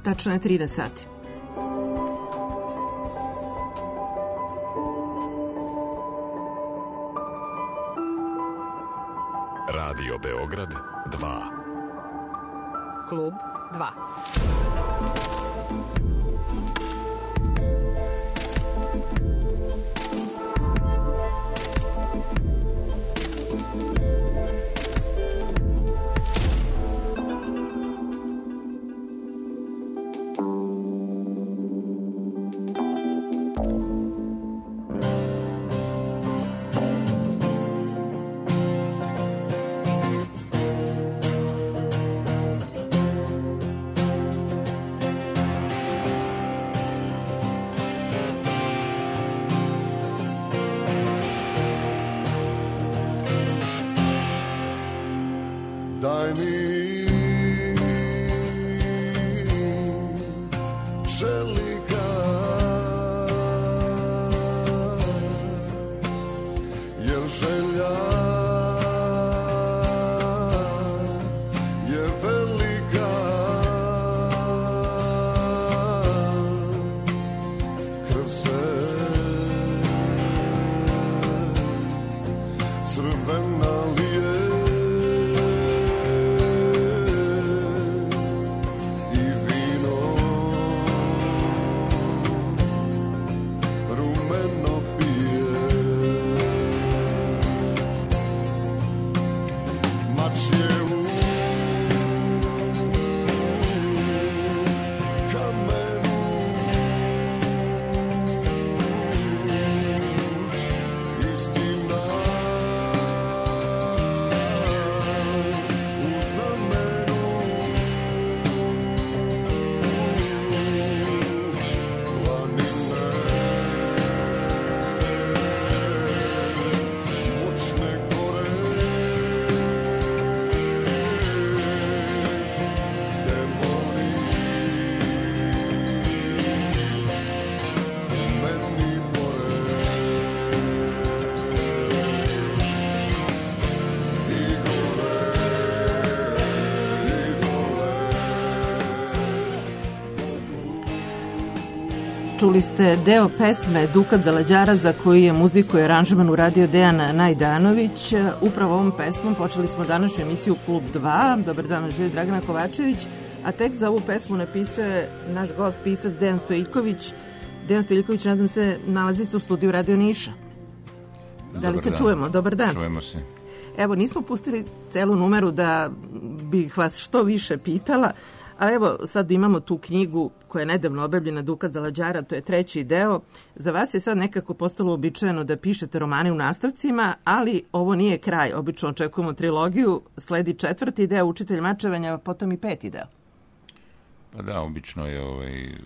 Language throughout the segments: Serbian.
tačno je 13 sati. Radio Beograd 2. Klub 2. Čuli ste deo pesme Dukat Zalađara za koju je muziku i aranžman uradio Dejan Najdanović. Upravo ovom pesmom počeli smo današnju emisiju Klub 2. Dobar dan, živi Dragana Kovačević. A tekst za ovu pesmu napisao je naš gost, pisac Dejan Stojiljković. Dejan Stojiljković, nadam se, nalazi se u studiju Radio Niša. Da li se čujemo? Dobar dan. Čujemo se. Evo, nismo pustili celu numeru da bih vas što više pitala, a evo sad imamo tu knjigu koja je nedavno objavljena, Dukat Zalađara, to je 3. deo. Za vas je sad nekako postalo uobičajeno da pišete romane u nastavcima, ali ovo nije kraj. Obično očekujemo trilogiju, sledi 4. deo, Učitelj mačevanja, a potom i 5. deo. Pa da, obično je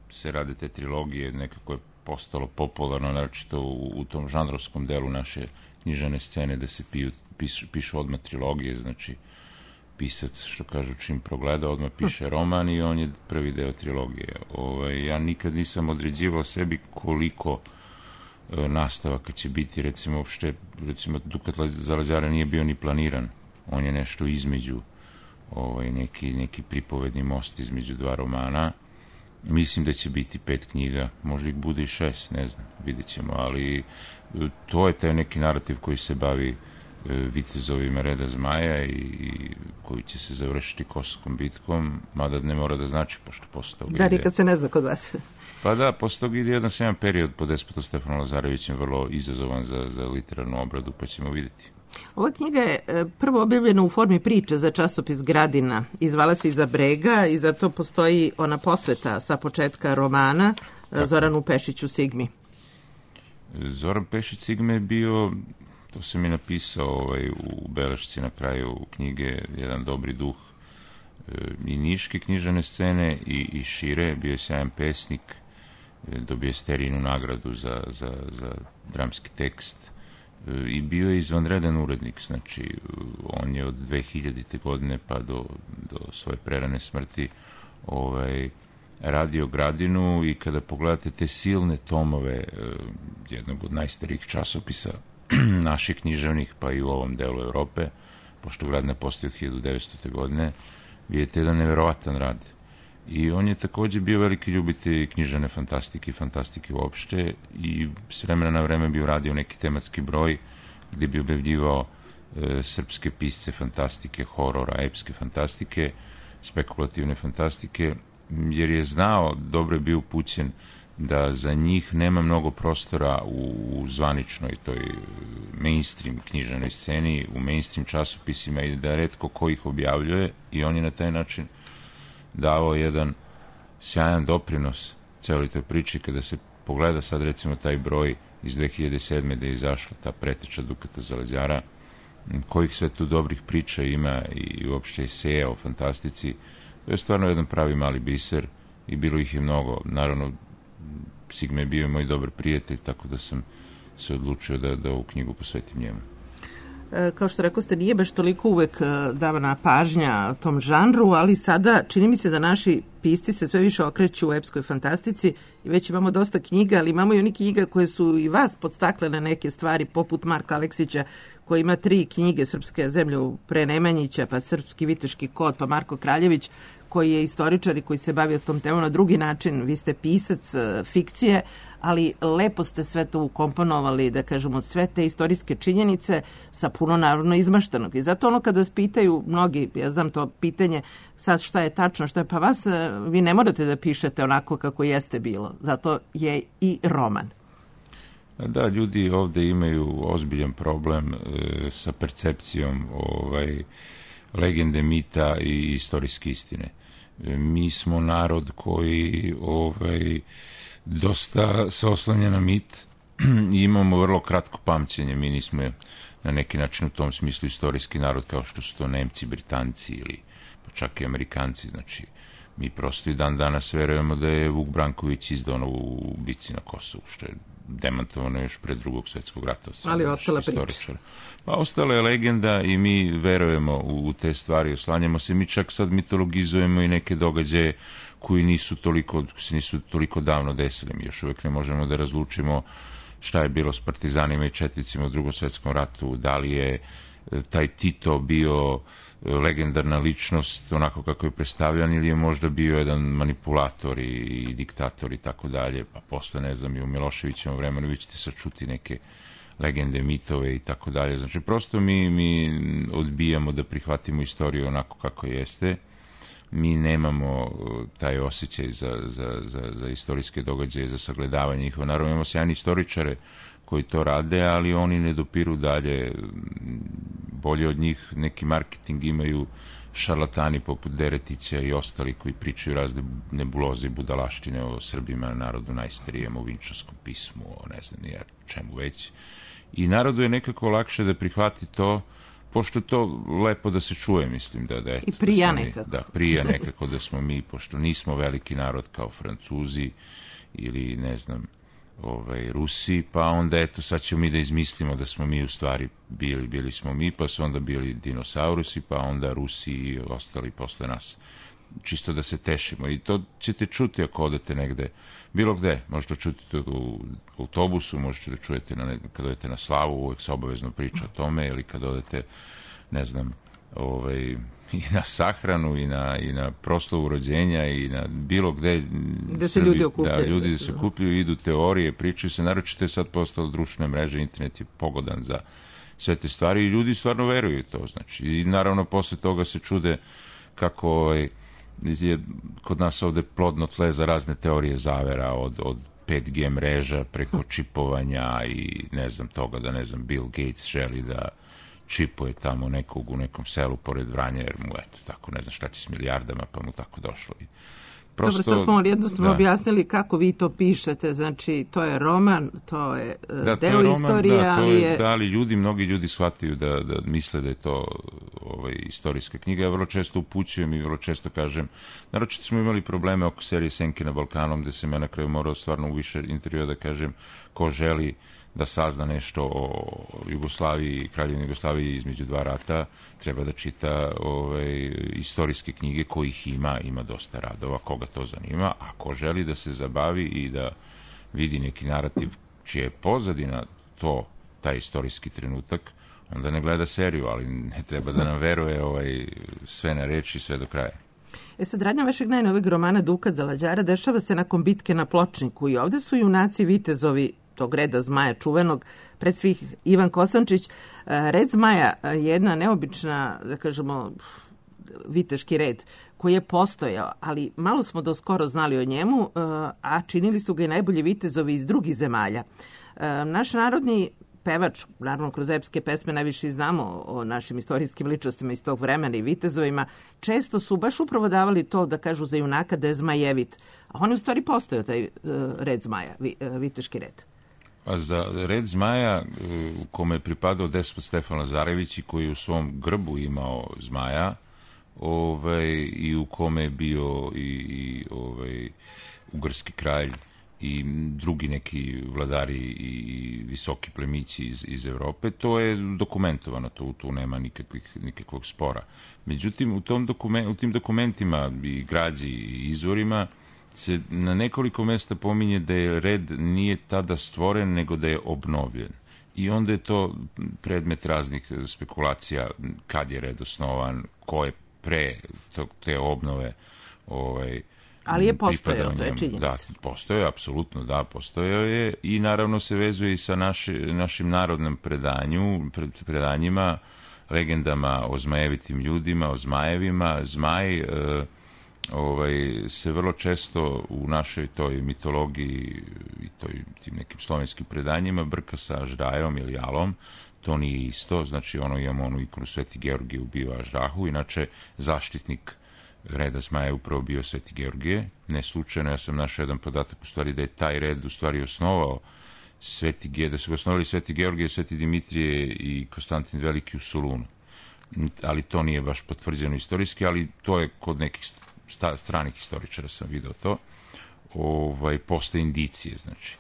se rade te trilogije, nekako je postalo popularno, naročito u tom žanrovskom delu naše književne scene, da se pišu odmah trilogije, znači pisac, što kažu, čim progleda, odmah piše roman i on je prvi deo trilogije. Ja nikad nisam određivao sebi koliko nastavaka će biti, recimo Dukat Zalađara nije bio ni planiran, on je nešto između, neki pripovedni most između dva romana. Mislim da će biti 5 knjiga, možda ih bude i 6, ne znam, vidjet ćemo, ali to je taj neki narativ koji se bavi vitezovima reda zmaja i koji će se završiti Kosovskom bitkom, mada ne mora da znači, pošto posle toga ide... nikad se ne zna kod vas. Pa da, posle toga ide jedan period pod despotom Stefanom Lazarevićem, vrlo izazovan za literarnu obradu, pa ćemo vidjeti. Ova knjiga je prvo objavljena u formi priče za časopis Gradina i zvala se Iza brega i zato postoji ona posveta sa početka romana Zoranu Pešiću Sigmi. Zoran Pešić Sigme je bio, to sam i napisao u belešci na kraju knjige, jedan dobri duh i niške književne scene i šire, bio je sjajan pesnik, dobio je Sterijinu nagradu za dramski tekst i bio je izvanredan urednik, znači on je od 2000. godine pa do svoje prerane smrti radio Gradinu i kada pogledate te silne tomove jednog od najstarijih časopisa naših književnih, pa i u ovom delu Evrope, pošto Gradina postoji od 1900. godine, vidite jedan neverovatan rad. I on je takođe bio veliki ljubitelj književne fantastike i fantastike uopšte i s vremena na vreme bi uradio neki tematski broj gde bi objavljivao srpske pisce fantastike, horora, epske fantastike, spekulativne fantastike, jer je znao, dobro je bio upućen da za njih nema mnogo prostora u zvaničnoj toj mainstream književnoj sceni, u mainstream časopisima i da retko ko ih objavljuje i on je na taj način dao jedan sjajan doprinos celoj toj priči. Kada se pogleda sad recimo taj broj iz 2007. da je izašla ta preteča Dukata Zaleđara, kojih sve tu dobrih priča ima i uopšte eseja o fantastici, to je stvarno jedan pravi mali biser i bilo ih je mnogo. Naravno, Sigma je bio moj dobar prijatelj, tako da sam se odlučio da ovu knjigu posvetim njemu. Kao što rekao ste, nije baš toliko uvek davana pažnja tom žanru, ali sada čini mi se da naši pisci se sve više okreću u epskoj fantastici i već imamo dosta knjiga, ali imamo i onih knjiga koje su i vas podstakle na neke stvari, poput Marka Aleksića, koji ima 3 knjige, Srpske zemlje pre Nemanjića, pa Srpski viteški kod, pa Marko Kraljević, koji je istoričar i koji se bavio tom temom na drugi način. Vi ste pisac fikcije, ali lepo ste sve to ukomponovali, da kažemo, sve te istorijske činjenice sa puno naravno izmaštanog. I zato ono kada vas pitaju mnogi, ja znam to pitanje, sad šta je tačno, šta je, pa vas, vi ne morate da pišete onako kako jeste bilo. Zato je i roman. Da, ljudi ovde imaju ozbiljan problem sa percepcijom legende, mita i istorijske istine. Mi smo narod koji dosta se oslanja na mit i imamo vrlo kratko pamćenje. Mi nismo na neki način u tom smislu istorijski narod kao što su to Nemci, Britanci ili pa čak i Amerikanci. Znači, mi prosto i dan danas verujemo da je Vuk Branković izdao u bici na Kosovu, što je demantovano još pre Drugog svjetskog rata. Ali ostala priča. Pa ostala je legenda i mi verujemo u te stvari, oslanjamo se. Mi čak sad mitologizujemo i neke događaje koji se nisu toliko davno desili. Mi još uvek ne možemo da razlučimo šta je bilo s partizanima i četnicima u Drugom svjetskom ratu, da li je taj Tito bio legendarna ličnost onako kako je predstavljan ili je možda bio jedan manipulator i diktator i tako dalje, pa posle, ne znam, i u Miloševićevom vremenu vi ćete sad čuti neke legende, mitove i tako dalje. Znači, prosto mi odbijamo da prihvatimo istoriju onako kako jeste. Mi nemamo taj osjećaj za istorijske događaje, za sagledavanje njihova. Naravno, imamo sjajni istoričare koji to rade, ali oni ne dopiru dalje. Bolje od njih neki marketing imaju šarlatani poput Deretića i ostali koji pričaju razne nebuloze i budalaštine o Srbima, narodu najstarijem, o Vinčanskom pismu, o ne znam ni čemu već. I narodu je nekako lakše da prihvati to, pošto je to lepo da se čuje, mislim da eto, i prija nekako. Da, prija nekako da smo mi, pošto nismo veliki narod kao Francuzi ili ne znam, Rusi, pa onda eto sad ćemo mi da izmislimo da smo mi u stvari bili smo mi, pa su onda bili dinosaurusi, pa onda Rusi i ostali posle nas. Čisto da se tešimo i to ćete čuti ako odete negde, bilo gde, možete čuti to u autobusu, možete da čujete kad odete na slavu, uvek se obavezno priča o tome, ili kad odete, ne znam, i na sahranu i na proslavu rođenja i na bilo gde se ljudi okupljaju. Da, ljudi se okupljaju, idu teorije, pričaju se, naročito je sad postalo društvene mreže, internet je pogodan za sve te stvari i ljudi stvarno veruju to, znači, i naravno posle toga se čude kako je kod nas ovde plodno tle za razne teorije zavera, od 5G mreža preko čipovanja i ne znam toga da, ne znam, Bill Gates želi da čipuje tamo nekog u nekom selu pored Vranja, jer mu, eto, tako, ne znam šta će s milijardama, pa mu tako došlo. Dobro, sad smo jednostavno objasnili kako vi to pišete, znači to je roman, to je deo istorije, ali ljudi, mnogi ljudi shvataju da misle da je to istorijska knjiga. Ja vrlo često upućujem i vrlo često kažem, naročito smo imali probleme oko serije Senke na Balkanu, gde sam ja na kraju morao stvarno u više intervjua da kažem ko želi da sazna nešto o Jugoslaviji, Kraljevini Jugoslaviji između dva rata, treba da čita istorijske knjige kojih ima dosta radova, koga to zanima, a ko želi da se zabavi i da vidi neki narativ čija je pozadina taj istorijski trenutak, onda ne gleda seriju, ali ne treba da nam veruje sve na reči, sve do kraja. Sad, radnja vašeg najnovijeg romana Dukat Zalađara dešava se nakon bitke na Pločniku i ovde su junaci vitezovi tog reda zmaja čuvenog, pred svih Ivan Kosančić. Red zmaja je jedna neobična, da kažemo, viteški red koji je postojao, ali malo smo do skoro znali o njemu, a činili su ga i najbolji vitezovi iz drugih zemalja. Naš narodni pevač, naravno kroz epske pesme najviše znamo o našim istorijskim ličnostima iz tog vremena i vitezovima, često su baš upravo davali to da kažu za junaka da je zmajevit, a on je u stvari postojao taj red zmaja, viteški red. A za red zmaja u kome je pripadao despot Stefan Lazarević i koji u svom grbu imao zmaja, i u kome je bio i ugarski kralj i drugi neki vladari i visoki plemići iz Evrope, to je dokumentovano, tu nema nikakvog spora. Međutim, u tim dokumentima i građi i izvorima se na nekoliko mesta pominje da je red nije tada stvoren, nego da je obnovljen. I onda je to predmet raznih spekulacija kad je red osnovan, ko je pre te obnove ali je postojao, to je činjenica. Da, postojao je, apsolutno, da, postojao je i naravno se vezuje i sa našim narodnim predanjima, legendama o zmajevitim ljudima, o zmajevima. Zmaj se vrlo često u našoj toj mitologiji i tim nekim slovenskim predanjima brka sa Aždajom ili Alom. To nije isto, znači imamo onu ikonu Sveti Georgije ubio Aždahu, inače zaštitnik reda zmaja je upravo bio Sveti Georgije. Ne slučajno, ja sam našao jedan podatak u stvari da je taj red u stvari osnovao da su ga osnovali Sveti Georgije, Sveti Dimitrije i Konstantin Veliki u Solunu. Ali to nije baš potvrđeno istorijski, ali to je kod nekih stranih historičara sam video to. Postoje indicije, znači.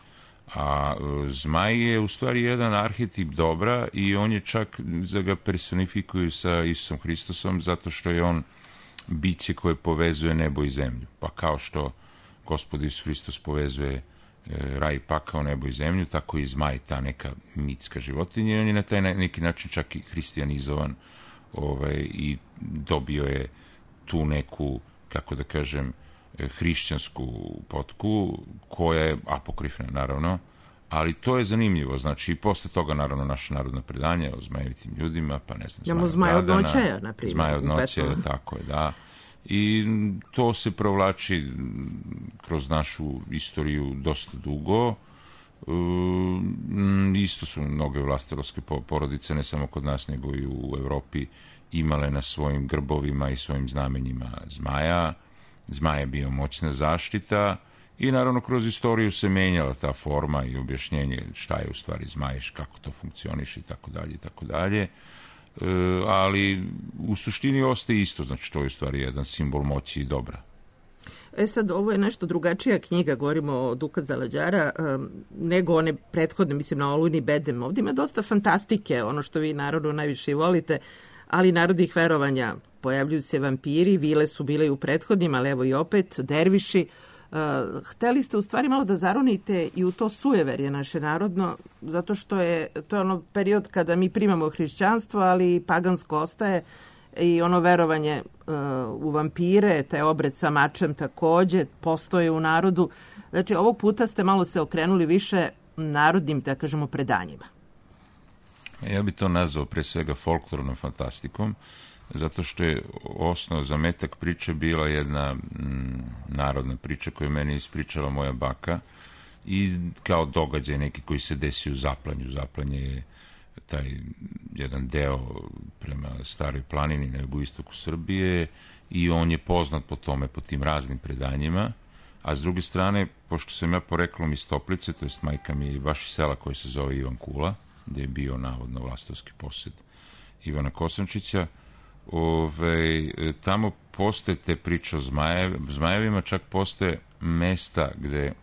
A zmaj je u stvari jedan arhetip dobra i on je čak, da ga personifikuju sa Isusom Hristosom, zato što je on biće koje povezuje nebo i zemlju. Pa kao što Gospod Isus Hristos povezuje raj i pakao, nebo i zemlju, tako i zmaj, ta neka mitska životinja, i on je na taj neki način čak i hристиjanizovan i dobio je tu neku, kako da kažem, hrišćansku potku, koja je apokrifna, naravno, ali to je zanimljivo, znači i posle toga, naravno, naša narodna predanja o zmajevitim ljudima, pa ne znam, Zmaj od noćeja, na primjer. Zmaj od noćeja, tako je, da. I to se provlači kroz našu istoriju dosta dugo. Isto su mnoge vlasterovske porodice, ne samo kod nas, nego i u Evropi, imale na svojim grbovima i svojim znamenjima zmaja. Zmaj je bio moćna zaštita i naravno kroz istoriju se menjala ta forma i objašnjenje šta je u stvari zmaj, kako to funkcioniše i tako dalje i tako dalje. Ali u suštini ostaje isto, znači to je u stvari jedan simbol moći i dobra. Sad, ovo je nešto drugačija knjiga, govorimo o Dukat Zalađara, nego one prethodne, mislim na Olujni bedem. Ovdje ima dosta fantastike, ono što vi naravno najviše volite, ali narodnih verovanja. Pojavljuju se vampiri, vile su bile i u prethodnim, ali evo i opet, derviši. Hteli ste u stvari malo da zaronite i u to sujeverje naše narodno, zato što to je ono period kada mi primamo hrišćanstvo, ali pagansko ostaje i ono verovanje u vampire, taj obred sa mačem takođe postoje u narodu. Znači, ovog puta ste malo se okrenuli više narodnim, da kažemo, predanjima. Ja bih to nazvao pre svega folklornom fantastikom, zato što je osnov za metak priče bila jedna narodna priča koju meni ispričala moja baka i kao događaj neki koji se desio u Zaplanju. Zaplanje je taj jedan deo prema Staroj planini na jugoistoku Srbije i on je poznat po tome, po tim raznim predanjima, a s druge strane, pošto sam ja poreklom iz Toplice, to jest majka mi je baš iz sela koje se zove Ivan Kula, gde je bio navodno vlastovski posjed Ivana Kosančića, tamo postoje te priče o zmajevima, čak postoje mesta gde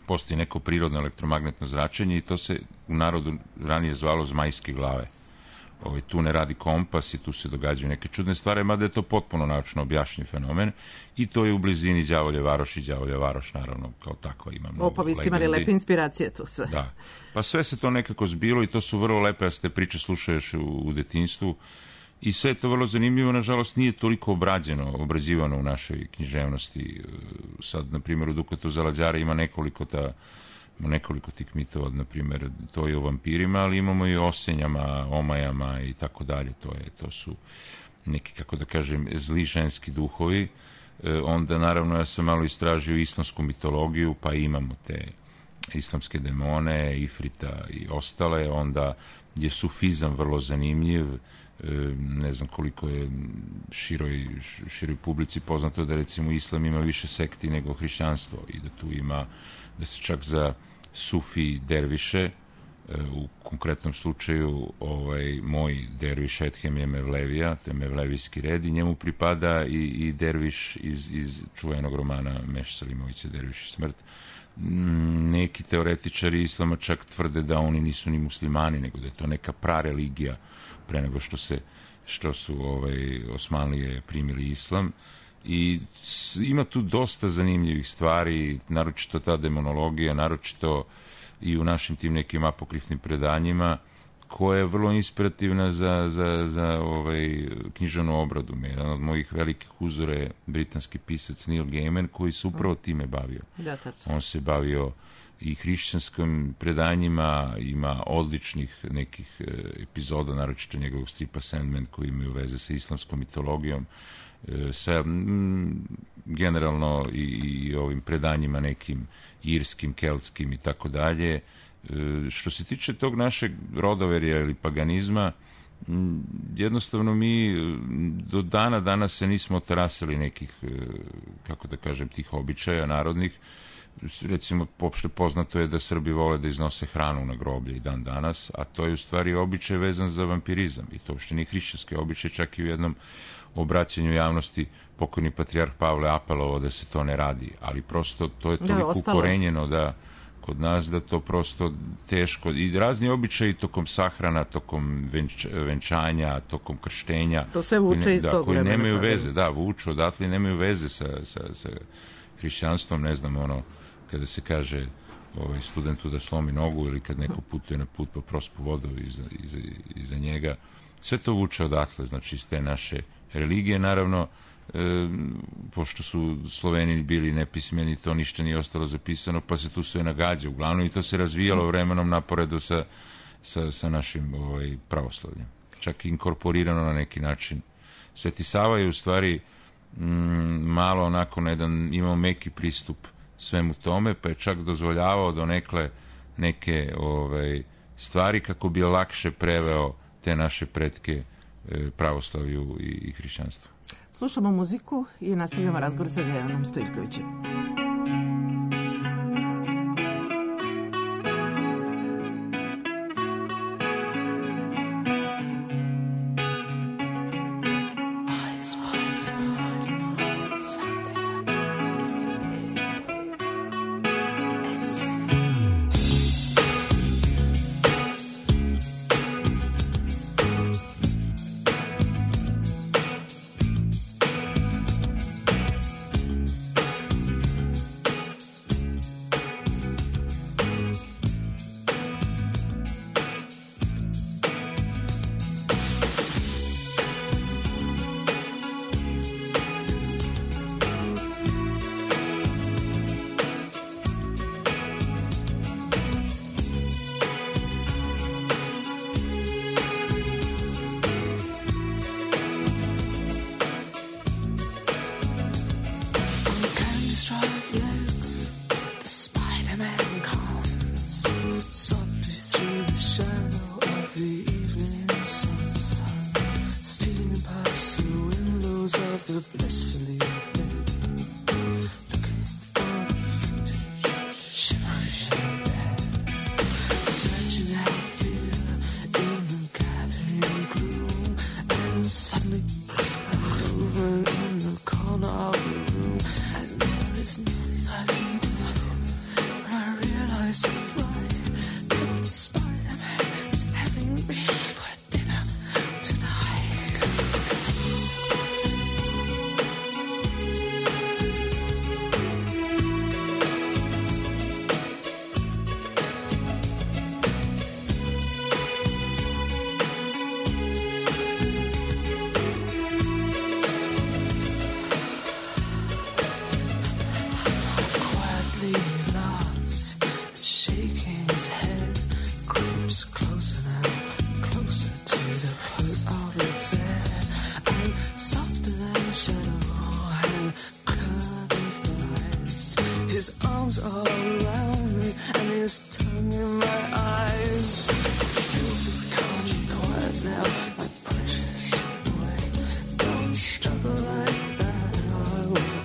postoji neko prirodno elektromagnetno zračenje i to se u narodu ranije zvalo zmajske glave. Tu ne radi kompas i tu se događaju neke čudne stvari, mada je to potpuno naučno objašnjen fenomen i to je u blizini Đavolje Varoš i Đavolja Varoš, naravno, kao takva ima mnogo legendi. Vi ste imali lepe inspiracije tu sve. Da, pa sve se to nekako zbilo i to su vrlo lepe, da se te priče slušaš u detinjstvu I sve je to vrlo zanimljivo, nažalost nije toliko obrađivano u našoj književnosti. Sad, na primjer, u Dukatu Zalađara ima nekoliko tih mitova, na primjer, to je o vampirima, ali imamo i o osenjama, omajama i tako dalje. To su neki, kako da kažem, zli ženski duhovi. Onda, naravno, ja sam malo istražio islamsku mitologiju, pa imamo te islamske demone, Ifrita i ostale. Onda je sufizam vrlo zanimljiv. Ne znam koliko je široj publici poznato da recimo islam ima više sekti nego hrišćanstvo i da tu ima, da se čak za sufi derviše, u konkretnom slučaju moj derviš Edhem je Mevlevija, to je Mevlevijski red i njemu pripada i derviš iz čuvenog romana Meš Selimovića Derviš i smrt. Neki teoretičari islama čak tvrde da oni nisu ni muslimani, nego da je to neka prareligija pre nego što su Osmanlije primili islam. I ima tu dosta zanimljivih stvari, naročito ta demonologija, naročito i u našim tim nekim apokrifnim predanjima, koja je vrlo inspirativna za književnu obradu. Jedan od mojih velikih uzora je britanski pisac Neil Gaiman, koji se upravo time bavio. On se bavio i hrišćanskim predanjima, ima odličnih nekih epizoda, naročito njegovog stripa Sandman, koji imaju veze sa islamskom mitologijom, sa generalno i ovim predanjima nekim irskim, keltskim i tako dalje. Što se tiče tog našeg rodoverja ili paganizma, jednostavno mi do dana danas se nismo otarasili nekih, kako da kažem, tih običaja narodnih. Recimo, opšte poznato je da Srbi vole da iznose hranu na groblje i dan danas, a to je u stvari običaj vezan za vampirizam i to uopšte nije hrišćanski običaj, čak i u jednom obraćanju javnosti pokojni patrijarh Pavle apelovao da se to ne radi, ali prosto to je toliko ukorenjeno da kod nas da to prosto teško, i razni običaji tokom sahrana, tokom venčanja, tokom krštenja, to sve vuče iz tog vremena, koji nemaju veze, vuču odatle, nemaju veze sa hrišćanstvom. Ne znam, kada se kaže studentu da slomi nogu ili kad neko putuje na put pa prospu vodu iza njega, sve to vuče odatle, znači iz te naše religije. Naravno, pošto su Sloveni bili nepismeni, to ništa nije ostalo zapisano, pa se tu sve nagađa uglavnom i to se razvijalo vremenom naporedu sa našim pravoslavljem. Čak i inkorporirano na neki način. Sveti Sava je u stvari malo onako imao meki pristup svemu tome, pa je čak dozvoljavao donekle neke stvari kako bi lakše preveo te naše pretke pravoslavlju i hrišćanstvu. Slušamo muziku i nastavljamo razgovor sa Dejanom Stojiljkovićem. Suddenly, over in the corner of the room, and there is his arms all around me and his tongue in my eyes. Still calm and quiet now, my precious boy. Don't struggle like that, I will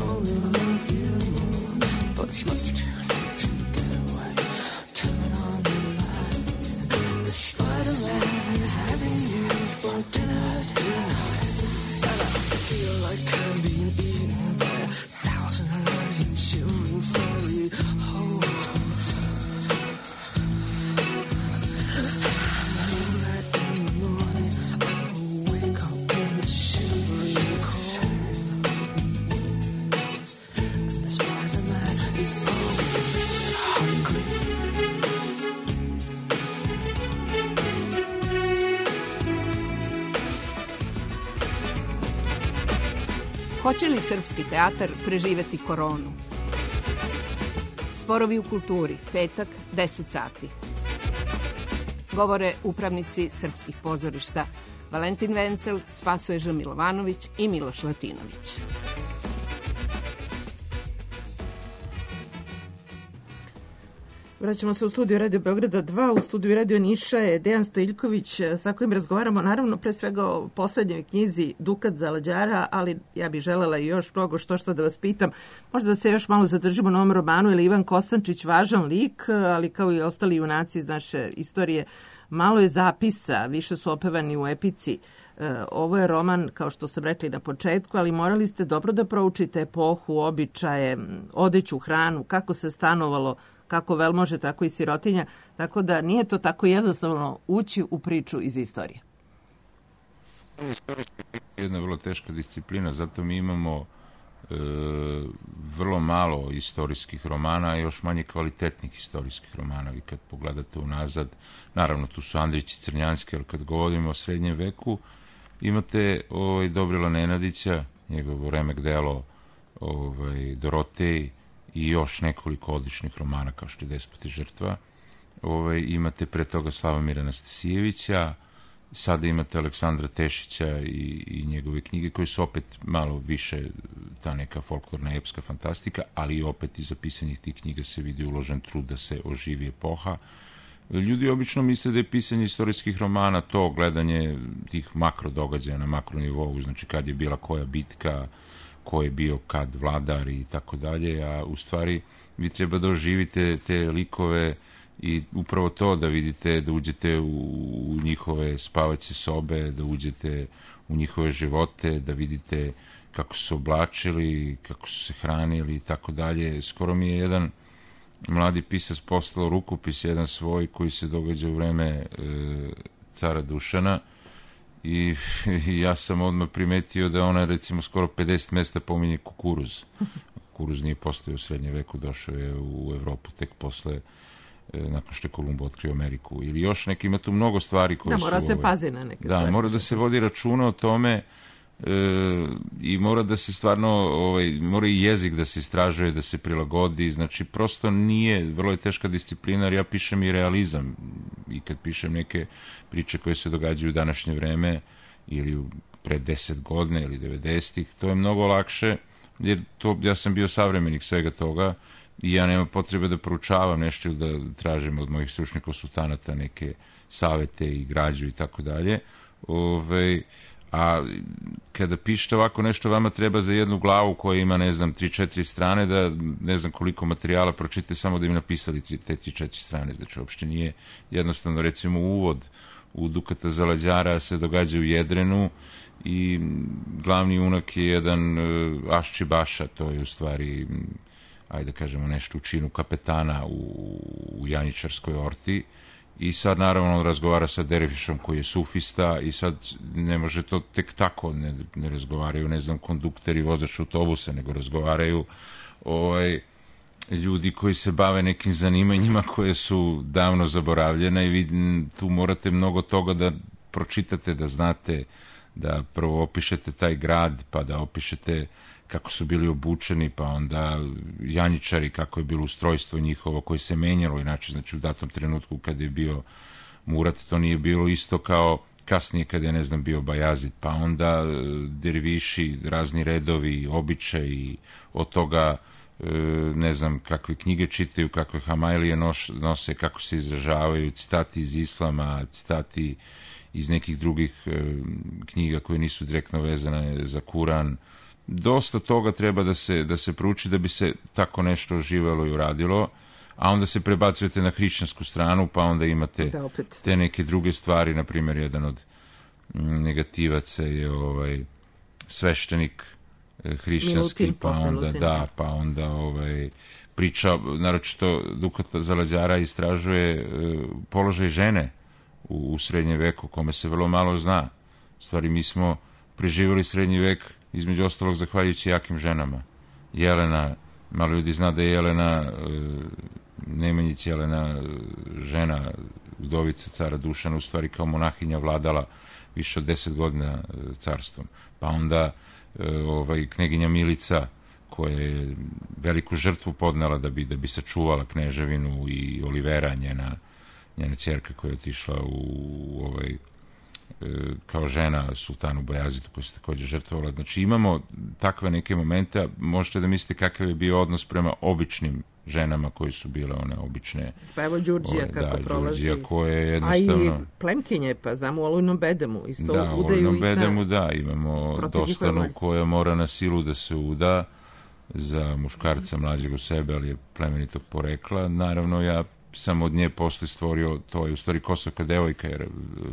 only love you more. But it's much too late to get away. Turn on the light. The Spider-Man is having you for dinner tonight. And I feel like I'm being eaten by 1,000 million children furry holes. Know that in the morning I will wake up in the shivering cold. And the Spider-Man is always hungry. Hoće li srpski teatar preživeti koronu? Sporovi u kulturi, petak, 10 sati. Govore upravnici srpskih pozorišta Valentin Vencel, Spasoje Ž. Milovanović i Miloš Latinović. Vraćamo se u studiju Radio Beograda 2, u studiju Radio Niša je Dejan Stojiljković sa kojim razgovaramo naravno pre svega o poslednjoj knjizi Dukat Zalađara, ali ja bih želela i još mnogo što da vas pitam. Možda da se još malo zadržimo na ovom romanu, jer Ivan Kosančić važan lik, ali kao i ostali junaci iz naše istorije, malo je zapisa, više su opevani u epici. Ovo je roman, kao što sam rekli na početku, ali morali ste dobro da proučite epohu, običaje, odeću, hranu, kako se stanovalo, kako velmože, tako i sirotinja, tako da nije to tako jednostavno ući u priču iz istorije. Jedna vrlo teška disciplina, zato mi imamo vrlo malo istorijskih romana, a još manje kvalitetnih istorijskih romana. Vi kad pogledate unazad, naravno tu su Andrić i Crnjanski, ali kad govorimo o srednjem veku, imate Dobrila Nenadića, njegovo remek delo Dorotej, i još nekoliko odličnih romana kao što je Despot i žrtva. Imate pre toga Slavomira Anastasijevića, sada imate Aleksandra Tešića i njegove knjige koje su opet malo više ta neka folklorna epska fantastika, ali opet iza pisanja tih knjiga se vidi uložen trud da se oživi epoha. Ljudi obično misle da je pisanje istorijskih romana to gledanje tih makro događaja na makro nivou, znači kad je bila koja bitka, ko je bio kad vladar i tako dalje, a u stvari vi treba da oživite te likove i upravo to da vidite, da uđete u njihove spavaće sobe, da uđete u njihove živote, da vidite kako su se oblačili, kako su se hranili i tako dalje. Skoro mi je jedan mladi pisac poslao rukopis, jedan svoj koji se događa u vreme cara Dušana, i ja sam odmah primetio da ona recimo skoro 50 mesta pominje kukuruz. Kukuruz nije postojao u srednjem veku, došao je u Evropu tek posle, nakon što je Kolumbo otkrio Ameriku. Ili još neki, ima tu mnogo stvari koje su... Da, mora se pazi na neke stvari. Da, mora da se vodi računa o tome i mora da se stvarno, mora i jezik da se istražuje, da se prilagodi, znači prosto nije, vrlo je teška disciplina, jer ja pišem i realizam i kad pišem neke priče koje se događaju u današnje vreme ili pre 10 godina ili 90-ih, to je mnogo lakše, jer ja sam bio savremenik svega toga i ja nema potrebe da proučavam nešto ili da tražim od mojih stručnih konsultanata neke savete i građu i tako dalje. A kada pišete ovako nešto, vama treba za jednu glavu koja ima, 3-4 strane, da ne znam koliko materijala pročite samo da im napisali te 3-4 strane. Znači, uopšte nije jednostavno. Recimo, uvod u Dukata Zalađara se događa u Jedrenu i glavni junak je jedan Ašči Baša, to je u stvari, ajde kažemo, nešto u činu kapetana u Janjičarskoj orti. I sad naravno on razgovara sa Dervišom koji je sufista i sad ne može to tek tako, ne razgovaraju, ne znam, kondukteri, vozač autobusa, nego razgovaraju ljudi koji se bave nekim zanimanjima koje su davno zaboravljena i vi tu morate mnogo toga da pročitate, da znate, da prvo opišete taj grad, pa da opišete kako su bili obučeni, pa onda Janjičari, kako je bilo ustrojstvo njihovo koje se menjalo, inače, znači u datom trenutku kad je bio Murat, to nije bilo isto kao kasnije kad je, bio Bajazid, pa onda derviši, razni redovi, običaji, od toga ne znam kakve knjige čitaju, kakve hamajlije nose, kako se izražavaju, citati iz islama, citati iz nekih drugih knjiga koje nisu direktno vezane za Kuran. Dosta toga treba da se prouči da bi se tako nešto oživelo i uradilo, a onda se prebacujete na hrišćansku stranu, pa onda imate te neke druge stvari. Na primjer, jedan od negativaca je sveštenik hrišćanski, pa onda priča, naročito Dukat Zalađara istražuje položaj žene u srednjem veku, kome se vrlo malo zna. U stvari, mi smo preživjeli srednji vek, između ostalog, zahvaljujući jakim ženama. Jelena, malo ljudi zna da je Jelena Nemanjić, Jelena žena udovica cara Dušana, u stvari kao monahinja vladala više od 10 godina carstvom. Pa onda kneginja Milica, koja je veliku žrtvu podnela da bi sačuvala kneževinu, i Olivera, njena ćerka, koja je otišla kao žena sultanu Bajazitu, koja se također žrtvovala. Znači, imamo takve neke momente. Možete da mislite kakav je bio odnos prema običnim ženama koje su bile one obične. Pa evo Đurđija kako prolazi. Đurđija, koja je jednostavno... A i plemkinje, pa znamo u Olujnom bedemu. Isto da, u Olujnom bedemu, da. Imamo Dostanu koja mora na silu da se uda za muškarca mlađeg od sebe, ali je plemenitog porekla. Naravno, ja sam od nje posle stvorio, to je u stvari Kosovka devojka, jer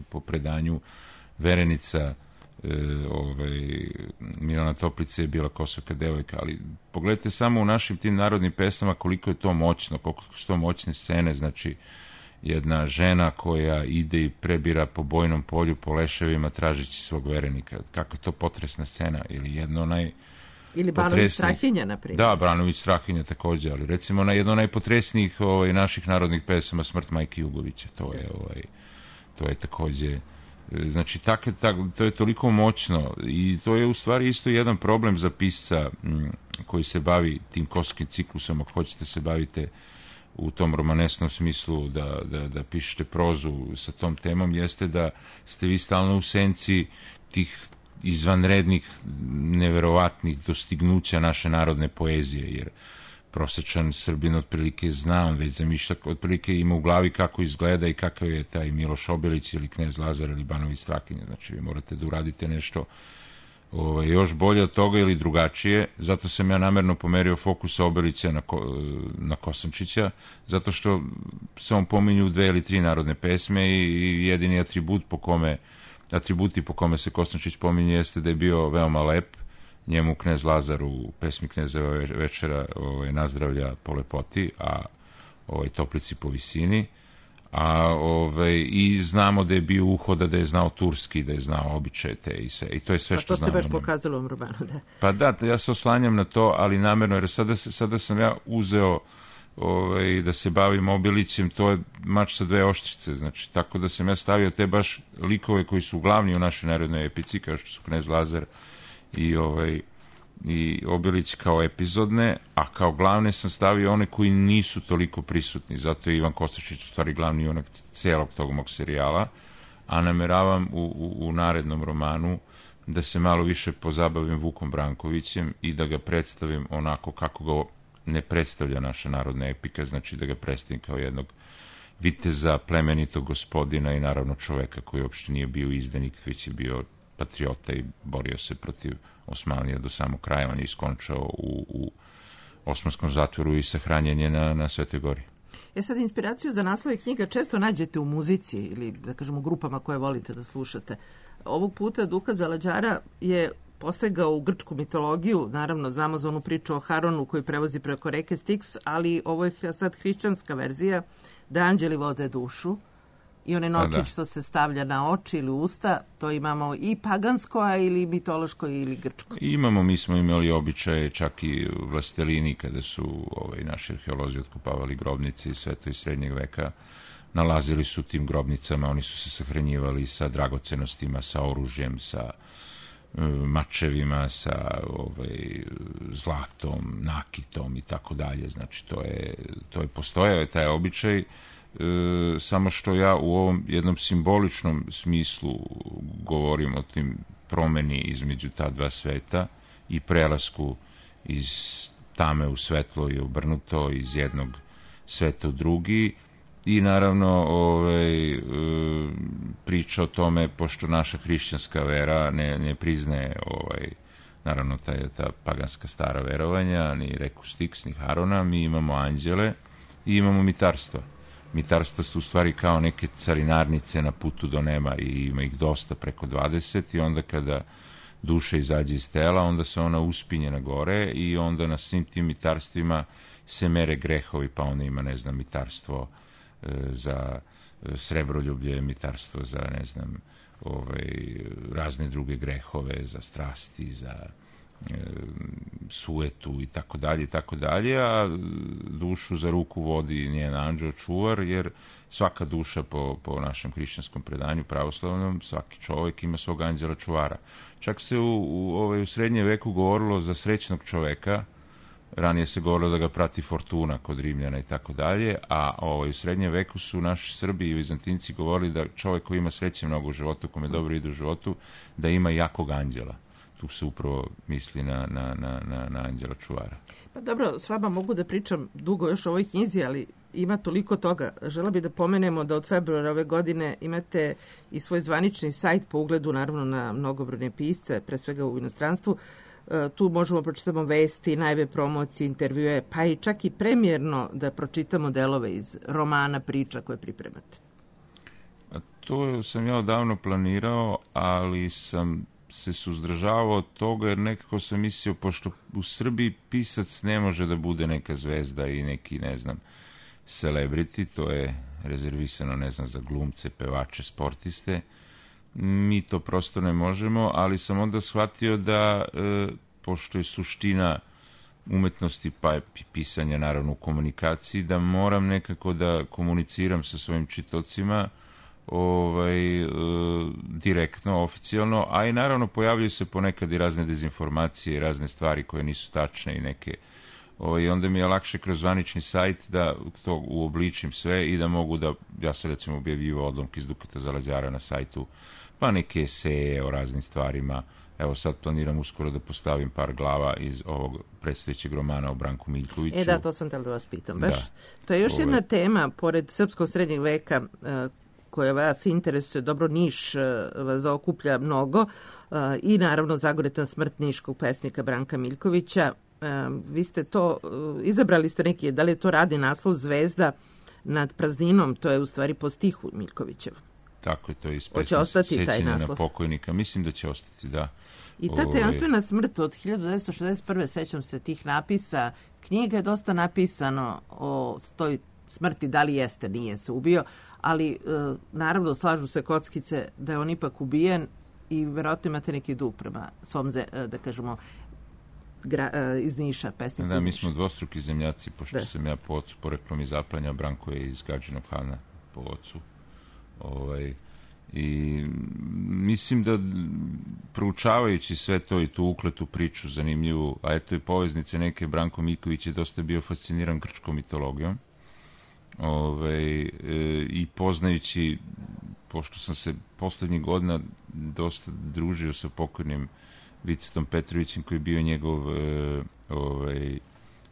po predanju verenica Milana Toplice je bila Kosovka devojka, ali pogledajte samo u našim tim narodnim pesama koliko je to moćno, koliko su to moćne scene. Znači, jedna žena koja ide i prebira po bojnom polju, po leševima, tražići svog verenika. Kako je to potresna scena, ili jedno Ili Branović Strahinja, na primjer. Da, Branović Strahinja također, ali recimo jedno najpotresnijih naših narodnih pesama, Smrt majke Jugovića, to je također, znači to je toliko moćno, i to je u stvari isto jedan problem za pisca koji se bavi tim kosovskim ciklusom. Ako hoćete se bavite u tom romanesnom smislu da pišete prozu sa tom temom, jeste da ste vi stalno u senci tih izvanrednih, neverovatnih dostignuća naše narodne poezije, jer prosečan Srbin otprilike zna, on već zamišlja, otprilike ima u glavi kako izgleda i kakav je taj Miloš Obilić ili Knez Lazar ili Banović Strahinja. Znači, vi morate da uradite nešto još bolje od toga ili drugačije. Zato sam ja namerno pomerio fokus Obilića na Kosančića, zato što se on pominju 2 ili 3 narodne pesme i jedini atributi po kome se Kosančić pominje jeste da je bio veoma lep. Njemu Knez Lazar u pesmi Knezeva večera nazdravlja po lepoti, a Toplici po visini. I znamo da je bio uhoda, da je znao turski, da je znao običaje te i sve. I to je sve što znamo. A to ste baš pokazali u ovom romanu, da. Pa da, ja se oslanjam na to, ali namerno, jer sada sam ja uzeo da se bavim Obilićem, to je mač sa 2 oštrice, znači, tako da sam ja stavio te baš likove koji su glavni u našoj narodnoj epici, kao što su Knez Lazar i Obilić kao epizodne, a kao glavne sam stavio one koji nisu toliko prisutni. Zato je Ivan Kostačić u stvari glavni junak celog tog mog serijala, a nameravam u narednom romanu da se malo više pozabavim Vukom Brankovićem i da ga predstavim onako kako ga ne predstavlja naša narodna epika, znači da ga predstavim kao jednog viteza, plemenitog gospodina i naravno čoveka koji uopšte nije bio izdanik, već je bio patriota i borio se protiv Osmanlija do samog kraja. On je iskončao u osmanskom zatvoru i sahranjen je na Svetoj Gori. Sad, inspiraciju za naslove knjiga često nađete u muzici ili, da kažemo, u grupama koje volite da slušate. Ovog puta Dukat Zalađara je posegao u grčku mitologiju, naravno znamo za onu priču o Haronu koji prevozi preko reke Styx, ali ovo je sad hrišćanska verzija, da anđeli vode dušu i onaj novčić što se stavlja na oči ili usta, to imamo i pagansko, ili mitološko ili grčko. Mi smo imali običaje, čak i vlastelini, kada su naši arheolozi otkopavali grobnice iz Sveta i Srednjeg veka, nalazili su tim grobnicama, oni su se sahranjivali sa dragocenostima, sa oružjem, sa mačevima, sa zlatom, nakitom i tako dalje. Znači, to je postojao taj običaj, samo što ja u ovom jednom simboličnom smislu govorim o tim promeni između ta dva sveta i prelasku iz tame u svetlo i obrnuto, iz jednog sveta u drugi. I naravno priča o tome, pošto naša hrišćanska vera ne priznaje naravno ta paganska stara verovanja, ni Reku Stix, ni Harona, mi imamo anđele i imamo mitarstva. Mitarstva su u stvari kao neke carinarnice na putu do neba i ima ih dosta, preko 20, i onda kada duša izađe iz tela, onda se ona uspinje na gore i onda na svim tim mitarstvima se mere grehovi, pa onda ima, ne znam, mitarstvo za srebroljublje, mitarstvo za, ne znam, razne druge grehove, za strasti, za suetu i tako dalje, a dušu za ruku vodi njen anđeo čuvar, jer svaka duša po našem hrišćanskom predanju pravoslavnom, svaki čovjek ima svog anđela čuvara. Čak se u srednjem veku govorilo za srećnog čoveka, ranije se govorilo da ga prati fortuna kod Rimljana i tako dalje, a u srednjem veku su naši Srbi i Vizantinci govorili da čovjek koji ima sreće mnogo u životu, kome dobro ide u životu, da ima jakog anđela. Tu se upravo misli na anđela čuvara. Pa dobro, s vama mogu da pričam dugo još o ovoj knjizi, ali ima toliko toga. Žela bih da pomenemo da od februara ove godine imate i svoj zvanični sajt po ugledu, naravno, na mnogobrojne pisce, pre svega u inostranstvu. Tu možemo pročitamo vesti, najave promocije, intervjue, pa i čak i premijerno da pročitamo delove iz romana, priča koje pripremate. To sam ja odavno planirao, ali sam se suzdržavao od toga, jer nekako sam mislio, pošto u Srbiji pisac ne može da bude neka zvezda i neki, ne znam, celebrity, to je rezervisano, ne znam, za glumce, pevače, sportiste. Mi to prosto ne možemo, ali sam onda shvatio da, pošto je suština umetnosti, pa je pisanja naravno u komunikaciji, da moram nekako da komuniciram sa svojim čitocima, direktno, oficijalno, a i naravno pojavljaju se ponekad i razne dezinformacije i razne stvari koje nisu tačne i neke. I onda mi je lakše kroz zvanični sajt da to uobličim sve i da mogu da, ja sam recimo objavljivao odlomke iz Dukata Zalađara na sajtu, pa neke eseje o raznim stvarima. Evo sad planiram uskoro da postavim par glava iz ovog predstojećeg romana o Branku Miljkoviću. Da, to sam htjela da vas pitam. Baš. To je još jedna tema, pored srpskog srednjeg veka, koja vas interesuje, dobro, Niš vas zaokuplja mnogo, i naravno Zagoretan smrt niškog pesnika Branka Miljkovića. Vi ste to, izabrali ste neki, da li je to radi naslov Zvezda nad prazninom, to je u stvari po stihu Miljkovićev. Tako je, to je iz pesma Sećanje na pokojnika. Mislim da će ostati, da. I ta tajanstvena smrt od 1961. sećam se tih napisa, knjiga je dosta napisano o toj smrti, da li jeste, nije se ubio, ali naravno slažu se kockice da je on ipak ubijen i verovatno imate neki dug prema svom, da kažemo, iz Niša, pesnik iz Niša. Da, mi smo dvostruki zemljaci, pošto sam ja po ocu poreklom iz Zaplanja, Branko je iz Gadžinog Hana po ocu. I mislim da proučavajući sve to i tu ukletu priču zanimljivu, a eto i poveznice neke, Branko Miljković je dosta bio fasciniran grčkom mitologijom, i poznajući, pošto sam se poslednjih godina dosta družio sa pokojnim Vicetom Petrovićem, koji je bio njegov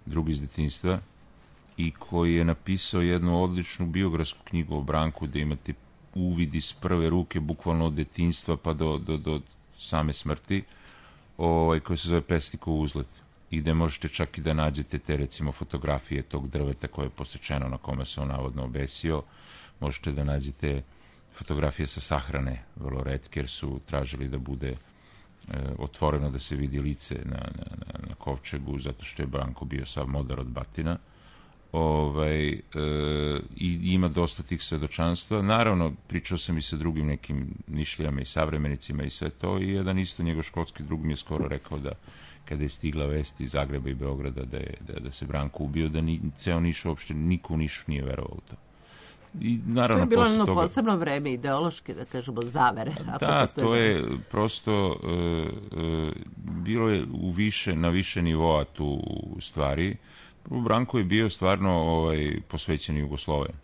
drug iz detinjstva i koji je napisao jednu odličnu biografsku knjigu o Branku, da imate uvid iz prve ruke, bukvalno od detinjstva pa do same smrti, koji se zove Pesnikov uzlet, i gde možete čak i da nađete te, recimo, fotografije tog drveta koje je posečeno, na kome se on navodno obesio. Možete da nađete fotografije sa sahrane, vrlo retke, jer su tražili da bude otvoreno, da se vidi lice na kovčegu, zato što je Branko bio sav modar od batina. I ima dosta tih svedočanstva. Naravno, pričao sam i sa drugim nekim Nišlijama i savremenicima i sve to, i jedan isto njegov školski drug mi je skoro rekao da kada je stigla vest iz Zagreba i Beograda da se Branko ubio, da ceo Niš uopšte, niko u Nišu nije verovao u to. I naravno, to je bilo jedno posebno vreme ideološke, da kažemo, zavere. Da, to je prosto bilo je na više nivoa tu stvari. Branko je bio stvarno posvećen Jugosloven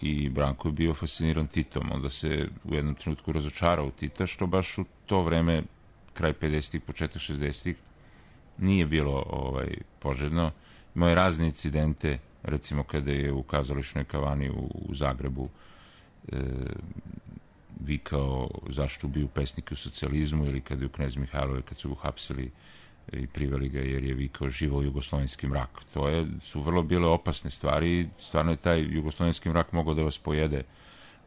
i Branko je bio fasciniran Titom, onda se u jednom trenutku razočarao u Tita, što baš u to vreme, kraj 50-ih, početak 60-ih, nije bilo poželjno. Imao je razne incidente, recimo kada je u kazališnoj kavani u Zagrebu vikao zašto ubiju pesnike u socijalizmu, ili kada je u Knez Mihajlove, kad su ga uhapsili i priveli ga jer je vikao živo jugoslovenski mrak. To su vrlo bile opasne stvari. Stvarno je taj jugoslovenski mrak mogao da vas pojede.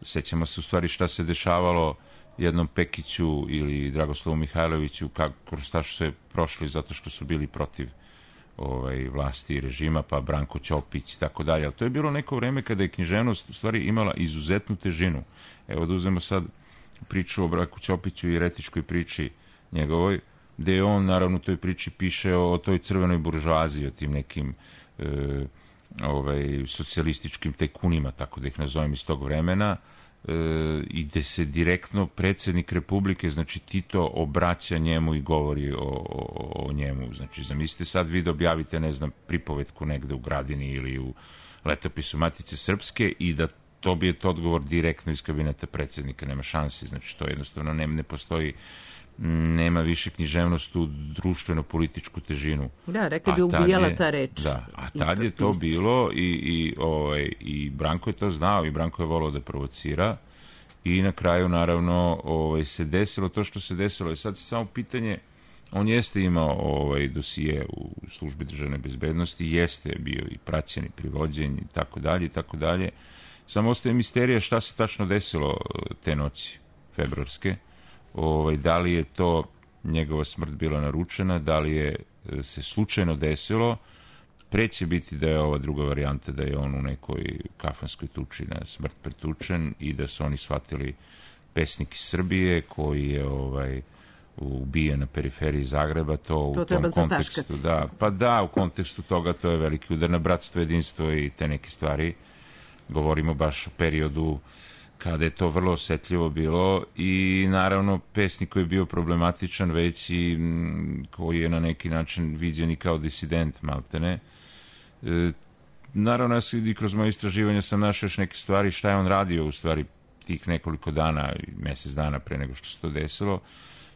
Sećamo se u stvari šta se dešavalo jednom Pekiću ili Dragoslavu Mihajloviću, kroz šta su se prošli zato što su bili protiv vlasti i režima, pa Branko Ćopić i tako dalje. Ali to je bilo neko vreme kada je književnost u stvari imala izuzetnu težinu. Evo da uzmemo sad priču o Branku Ćopiću i eretičkoj priči njegovoj, gde je on naravno u toj priči piše o toj crvenoj buržoaziji, o tim nekim socijalističkim tajkunima, tako da ih nazovem, iz tog vremena, i gde se direktno predsjednik Republike, znači Tito, obraća njemu i govori o njemu. Znači, zamislite sad vi da objavite, ne znam, pripovetku negde u Gradini ili u Letopisu Matice Srpske i da dobijete odgovor direktno iz kabineta predsjednika. Nema šansi, znači to jednostavno ne postoji, nema više književnost u društveno-političku težinu. Da, rekao bi ubijala ta reč. Da, a tad je to bilo i Branko je to znao i Branko je volao da provocira i na kraju naravno se desilo to što se desilo. I sad se samo pitanje, on jeste imao dosije u službi državne bezbednosti, jeste bio i praćen i privođen i tako dalje i tako dalje. Samo ostaje misterija šta se tačno desilo te noći februarske. Da li je to njegova smrt bila naručena, da li je se slučajno desilo. Preće biti da je ova druga varijanta, da je on u nekoj kafanskoj tuči na smrt pretučen i da su oni shvatili pesnik iz Srbije koji je ubijen na periferiji Zagreba, to u tom kontekstu. U kontekstu toga to je veliki udar na bratstvo, jedinstvo i te neke stvari. Govorimo baš o periodu kada je to vrlo osetljivo bilo i naravno pesnik koji je bio problematičan već i koji je na neki način viđen i kao disident maltene. Naravno, ja i kroz moje istraživanja sam našao još neke stvari šta je on radio u stvari tih nekoliko dana, mjesec dana pre nego što se to desilo.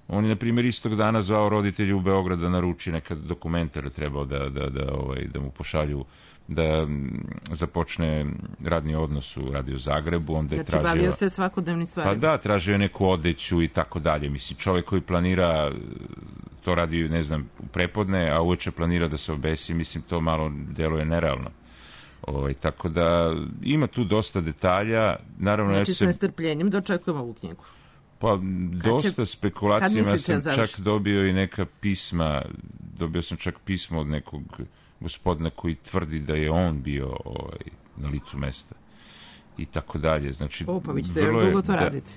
On je, na primjer, istog dana zvao roditelju u Beograd da naruči neka dokumentara, trebao da mu pošalju da započne radni odnos u Radio Zagrebu. Onda je znači, bavio se svakodnevnim stvarima. Pa da, tražio je neku odeću i tako dalje. Mislim, čovjek koji planira, to radi, ne znam, u prepodne, a uveče planira da se obesi, mislim, to malo deluje nerealno. Tako da ima tu dosta detalja. Naravno, znači, s nestrpljenjem dočekujemo ovu knjigu. Pa, dosta spekulacijama sam čak dobio i neka pisma, dobio sam čak pismo od nekog gospodina koji tvrdi da je on bio na licu mesta i tako dalje. Znači, pa vi ćete još dugo to raditi.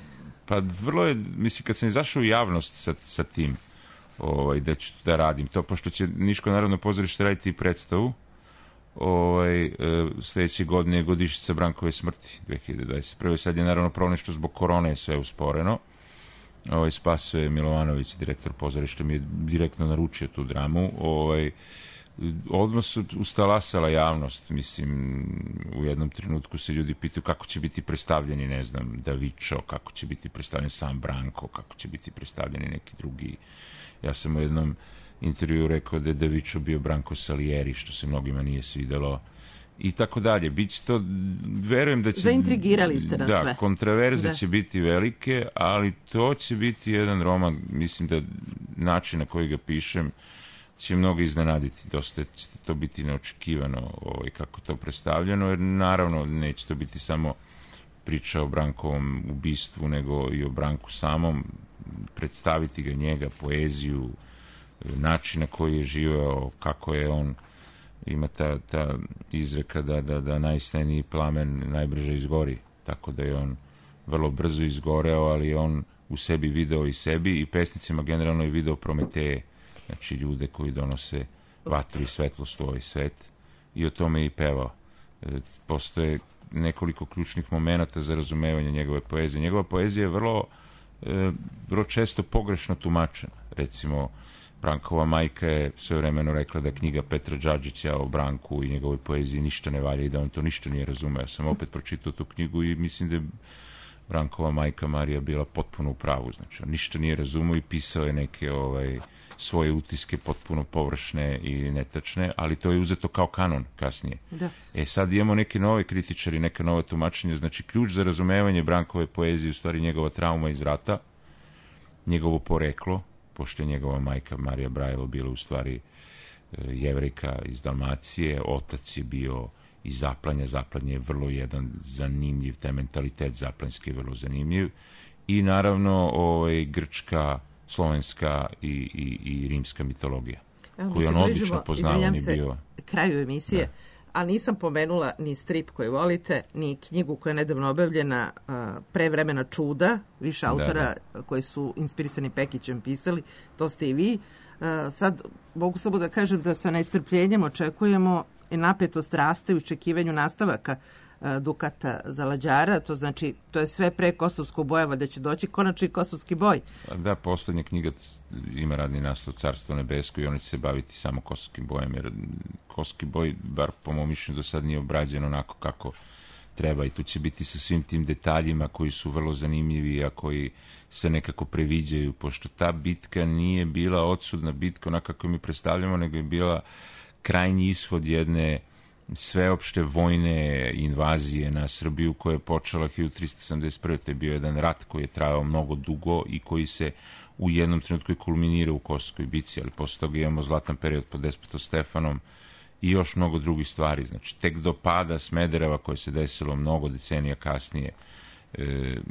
Pa vrlo je, mislim, kad sam izašao u javnost sa tim da ću da radim to, pošto će Niško narodno pozorište raditi i predstavu, sljedeće godine je godišnjica Brankove smrti 2021. Sad je naravno problem nešto zbog korone je sve usporeno. Spaso je Milovanović, direktor pozorišta, mi je direktno naručio tu dramu. Odmah su ustalasala javnost, mislim, u jednom trenutku se ljudi pitaju kako će biti predstavljeni, ne znam, Davičo, kako će biti predstavljen sam Branko, kako će biti predstavljeni neki drugi. Ja sam u jednom intervju rekao da je Davičo bio Branko Salieri, što se mnogima nije svidelo i tako dalje. Biće to, verujem da će... Zaintrigirali ste nas sve. Da, kontraverze će biti velike, ali to će biti jedan roman, mislim da način na koji ga pišem će mnogo iznenaditi. Dosta će to biti neočekivano kako to predstavljeno, jer naravno neće to biti samo priča o Brankovom ubistvu, nego i o Branku samom, predstaviti ga njega, poeziju, način na koji je živeo, kako je on, ima ta izreka da najsneniji plamen najbrže izgori, tako da je on vrlo brzo izgoreo, ali on u sebi video i sebi i pesnicima generalno je video Prometeje, znači ljude koji donose vatru i svetlost u ovaj svet, i o tome i pevao. Postoje nekoliko ključnih momenata za razumevanje njegove poezije. Njegova poezija je vrlo često pogrešno tumačena. Recimo, Brankova majka je svevremeno rekla da knjiga Petra Đađića o Branku i njegovoj poeziji ništa ne valja i da on to ništa nije razumeo. Ja sam opet pročitao tu knjigu i mislim da je Brankova majka Marija bila potpuno u pravu, znači on ništa nije razumio i pisao je neke svoje utiske potpuno površne i netačne, ali to je uzeto kao kanon kasnije. Da. Sad imamo neke nove kritičari, neka nova tumačenja, znači ključ za razumevanje Brankove poezije u stvari njegova trauma iz rata, njegovo poreklo, pošto je njegova majka Marija Brajlo bila u stvari Jevrejka iz Dalmacije, otac je bio iz Zaplanja, Zaplanje je vrlo jedan zanimljiv, taj mentalitet zaplanjski je vrlo zanimljiv, i naravno grčka, slovenska i rimska mitologija, koju on odlično poznao, on je bio... kraju emisije, ali nisam pomenula ni strip koji volite, ni knjigu koja je nedavno objavljena, Prevremena čuda, više autora koji su inspirisani Pekićem pisali, to ste i vi. Sad mogu samo da kažem da sa nestrpljenjem očekujemo i napetost raste u očekivanju nastavaka Dukata Zalađara, to znači, to je sve pre kosovskog bojeva, da će doći konačno i kosovski boj. Da, poslednja knjiga ima radni naslov Carstvo nebesko i oni će se baviti samo kosovskim bojem, jer kosovski boj, bar po mom mišljenju, do sad nije obrađen onako kako treba i tu će biti sa svim tim detaljima koji su vrlo zanimljivi, a koji se nekako previđaju, pošto ta bitka nije bila odsudna bitka onako kako mi predstavljamo, nego je bila krajnji ishod jedne sveopšte vojne invazije na Srbiju koja je počela 1371. To je bio jedan rat koji je trajao mnogo dugo i koji se u jednom trenutku kulminira u Kosovskoj bici, ali posle toga imamo zlatan period pod despotom Stefanom i još mnogo drugih stvari. Znači, tek do pada Smedereva koje se desilo mnogo decenija kasnije,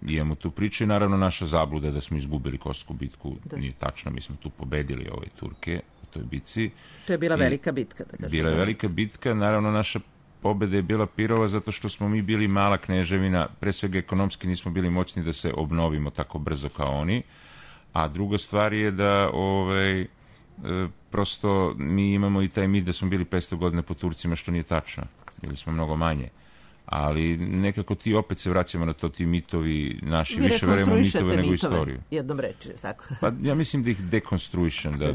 imamo tu priču i naravno naša zabluda da smo izgubili Kosovsku bitku nije tačno, mi smo tu pobedili Turke u toj bitci. To je bila velika bitka, da kažem. Bila je velika bitka, naravno naša pobeda je bila pirova zato što smo mi bili mala kneževina, pre svega ekonomski nismo bili moćni da se obnovimo tako brzo kao oni, a druga stvar je da prosto mi imamo i taj mit da smo bili 500 godina po Turcima, što nije tačno, bili smo mnogo manje. Ali nekako ti opet se vraćamo na to, ti mitovi naši, više verujemo mitove nego istoriju. Jednom reči, tako. Pa ja mislim da ih dekonstruišem, da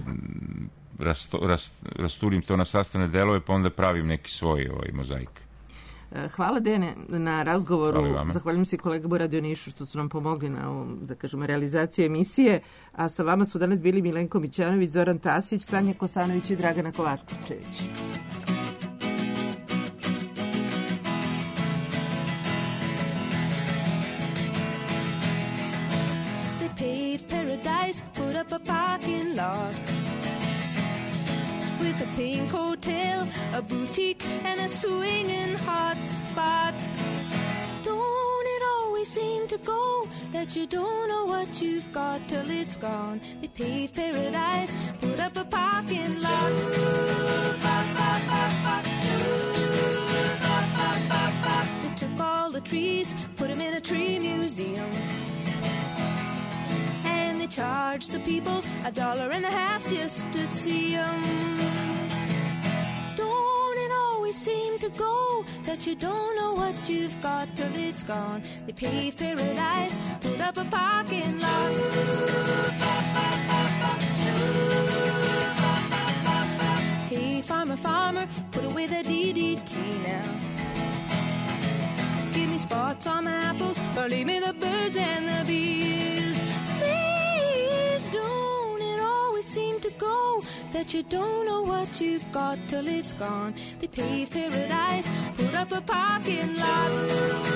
rasturim to na sastavne delove, pa onda pravim neki svoj mozaik. Hvala, Dene, na razgovoru. Zahvaljujem se kolegama u Radio Nišu što su nam pomogli na ovom, da kažemo, realizaciji emisije. A sa vama su danas bili Milenko Mićanović, Zoran Tasić, Tanja Kosanović i Dragana Kovačević. Put up a parking lot with a pink hotel, a boutique, and a swinging hot spot. Don't it always seem to go that you don't know what you've got till it's gone? They paved paradise, put up a parking lot. They took all the trees, put them in a tree museum. Charge the people $1.50 just to see them. Don't it always seem to go that you don't know what you've got till it's gone? They paved paradise, put up a parking lot. Hey, farmer, farmer, put away the DDT now. Give me spots on my apples, or leave me the birds and the bees. Seem to go that you don't know what you've got till it's gone. They paved paradise, put up a parking lot.